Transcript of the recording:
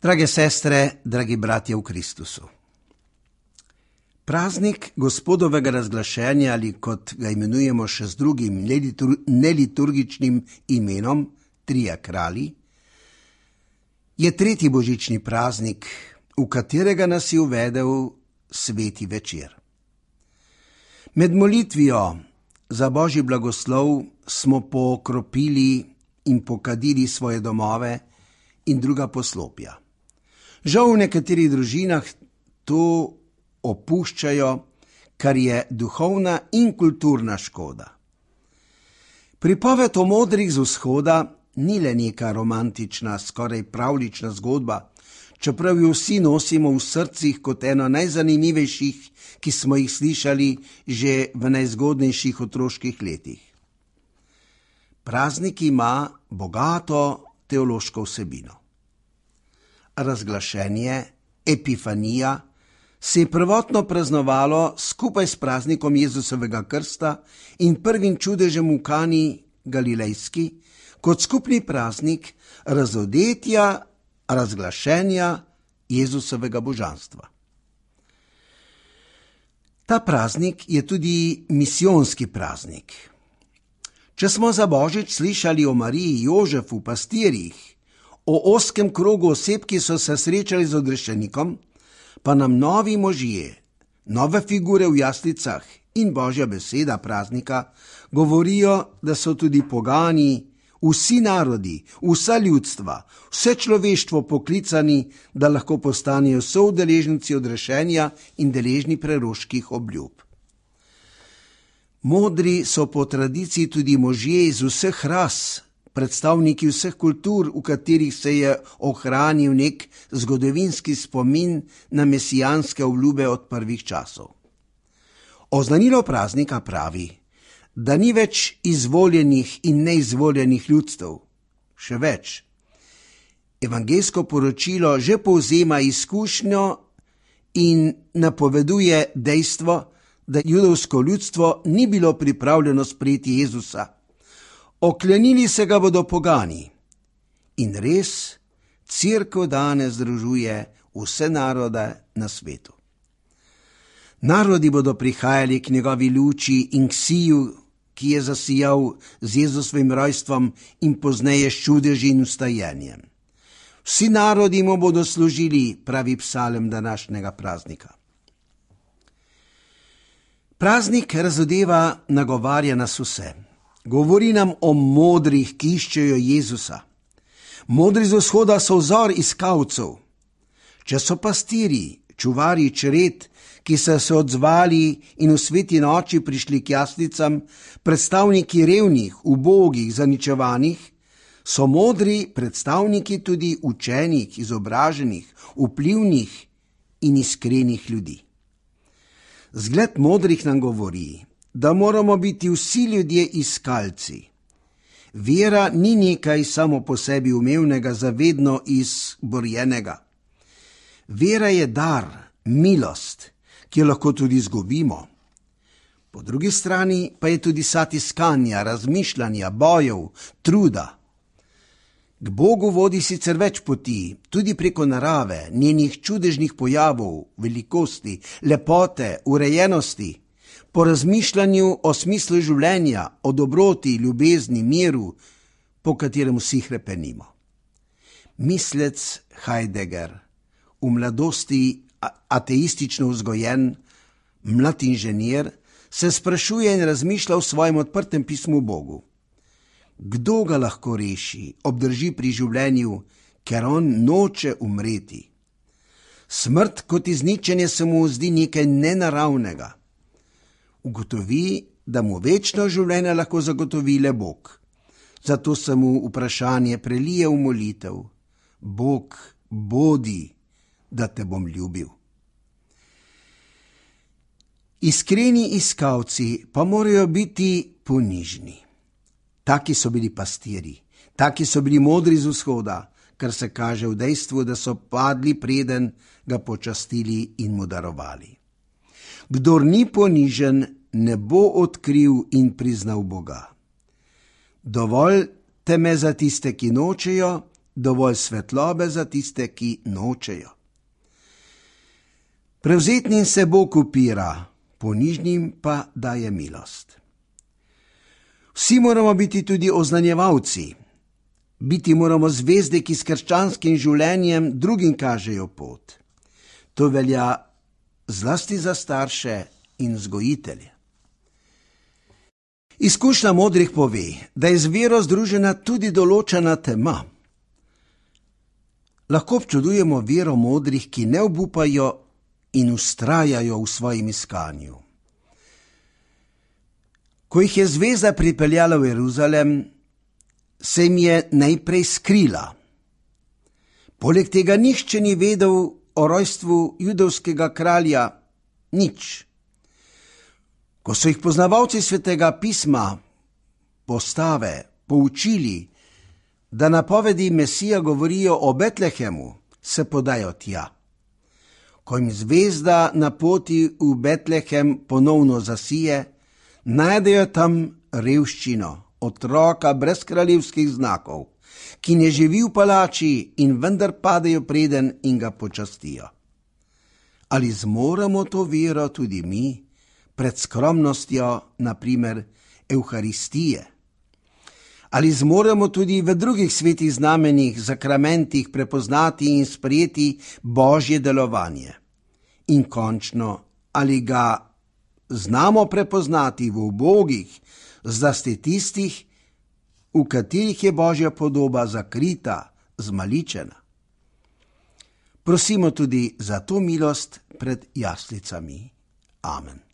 Drage sestre, dragi bratje v Kristusu. Praznik Gospodovega razglašenja, ali kot ga imenujemo še z drugim neliturgičnim imenom, Trije kralji, je tretji božični praznik, v katerega nas je uvedel sveti večer. Med molitvijo za Božji blagoslov smo pokropili in pokadili svoje domove in druga poslopja. Žal v nekaterih družinah to opuščajo, kar je duhovna in kulturna škoda. Pripoved o modrih z vzhoda ni le neka romantična, skoraj pravljična zgodba, čeprav jo vsi nosimo v srcih kot eno najzanimivejših, ki smo jih slišali že v najzgodnejših otroških letih. Praznik ima bogato teološko vsebino. Razglašenje, Epifanija, se je prvotno praznovalo skupaj s praznikom Jezusovega krsta in prvim čudežem v Kani Galilejski, kot skupni praznik razodetja, razglašenja Jezusovega božanstva. Ta praznik je tudi misijonski praznik. Če smo za Božič slišali o Mariji, Jožefu, pastirjih, o ozkem krogu oseb, ki so se srečali z odrešenikom, pa nam novi možje, nove figure v jaslicah in Božja beseda praznika govorijo, da so tudi pogani, vsi narodi, vsa ljudstva, vse človeštvo poklicani, da lahko postanejo soudeleženci odrešenja in deležni preroških obljub. Modri so po tradiciji tudi možje iz vseh ras, predstavniki vseh kultur, v katerih se je ohranil nek zgodovinski spomin na mesijanske obljube od prvih časov. Oznanilo praznika pravi, da ni več izvoljenih in neizvoljenih ljudstev. Še več. Evangeljsko poročilo že povzema izkušnjo in napoveduje dejstvo, da judovsko ljudstvo ni bilo pripravljeno sprejeti Jezusa. Oklenili se ga bodo pogani. In res, Cerkev danes združuje vse narode na svetu. Narodi bodo prihajali k njegovi luči in k siju, ki je zasijal z Jezusovim rojstvom in pozneje s čudeži in vstajenjem. Vsi narodi mu bodo služili, pravi psalm današnjega praznika. Praznik razodeva, nagovarja nas vse. Govori nam o modrih, ki iščejo Jezusa. Modri z vzhoda so vzor iskalcev. Če so pastirji, čuvarji čred, ki so se odzvali in v sveti noči prišli k jaslicam, predstavniki revnih, ubogih, zaničevanih, so modri predstavniki tudi učenih, izobraženih, vplivnih in iskrenih ljudi. Zgled modrih nam govori, da moramo biti vsi ljudje iskalci. Vera ni nekaj samo po sebi umevnega, zavedno izborjenega. Vera je dar, milost, ki jo lahko tudi izgubimo. Po drugi strani pa je tudi sad iskanja, razmišljanja, bojev, truda. K Bogu vodi sicer več poti, tudi preko narave, njenih čudežnih pojavov, velikosti, lepote, urejenosti, po razmišljanju o smislu življenja, o dobroti, ljubezni, miru, po katerem vsi hrepenimo. Mislec Heidegger, v mladosti ateistično vzgojen, mlad inženir, se sprašuje in razmišlja v svojem odprtem pismu Bogu. Kdo ga lahko reši, obdrži pri življenju, ker on noče umreti? Smrt kot izničenje se mu zdi nekaj nenaravnega. Ugotovi, da mu večno življenje lahko zagotovi le Bog. Zato se mu vprašanje prelije v molitev. Bog, bodi, da te bom ljubil. Iskreni iskalci pa morajo biti ponižni. Taki so bili pastirji, taki so bili modri z vzhoda, kar se kaže v dejstvu, da so padli, preden ga počastili in mu darovali. Kdor ni ponižen, ne bo odkril in priznal Boga. Dovolj teme za tiste, ki nočejo, dovolj svetlobe za tiste, ki nočejo. Prevzetnim se Bog upira, ponižnim pa daje milost. Vsi moramo biti tudi oznanjevalci. Biti moramo zvezde, ki s krščanskim življenjem drugim kažejo pot. To velja zlasti za starše in vzgojitelje. Izkušnja modrih pove, da je z vero združena tudi določena tema. Lahko občudujemo vero modrih, ki ne obupajo in vztrajajo v svojem iskanju. Ko jih je zvezda pripeljala v Jeruzalem, se jim je najprej skrila. Poleg tega nihče ni vedel o rojstvu judovskega kralja nič. Ko so jih poznavalci Svetega pisma, poučili, da napovedi Mesija govorijo o Betlehemu, se podajo tja. Ko jim zvezda na poti v Betlehem ponovno zasije, najdejo tam revščino, otroka brez kraljevskih znakov, ki ne živi v palači in vendar padejo preden in ga počastijo. Ali zmoremo to vero tudi mi, pred skromnostjo, na primer, Evharistije? Ali zmoremo tudi v drugih svetih znamenjih, zakramentih prepoznati in sprejeti Božje delovanje? In končno, ali ga znamo prepoznati v ubogih, zlasti tistih, v katerih je Božja podoba zakrita, zmaličena? Prosimo tudi za to milost pred jaslicami. Amen.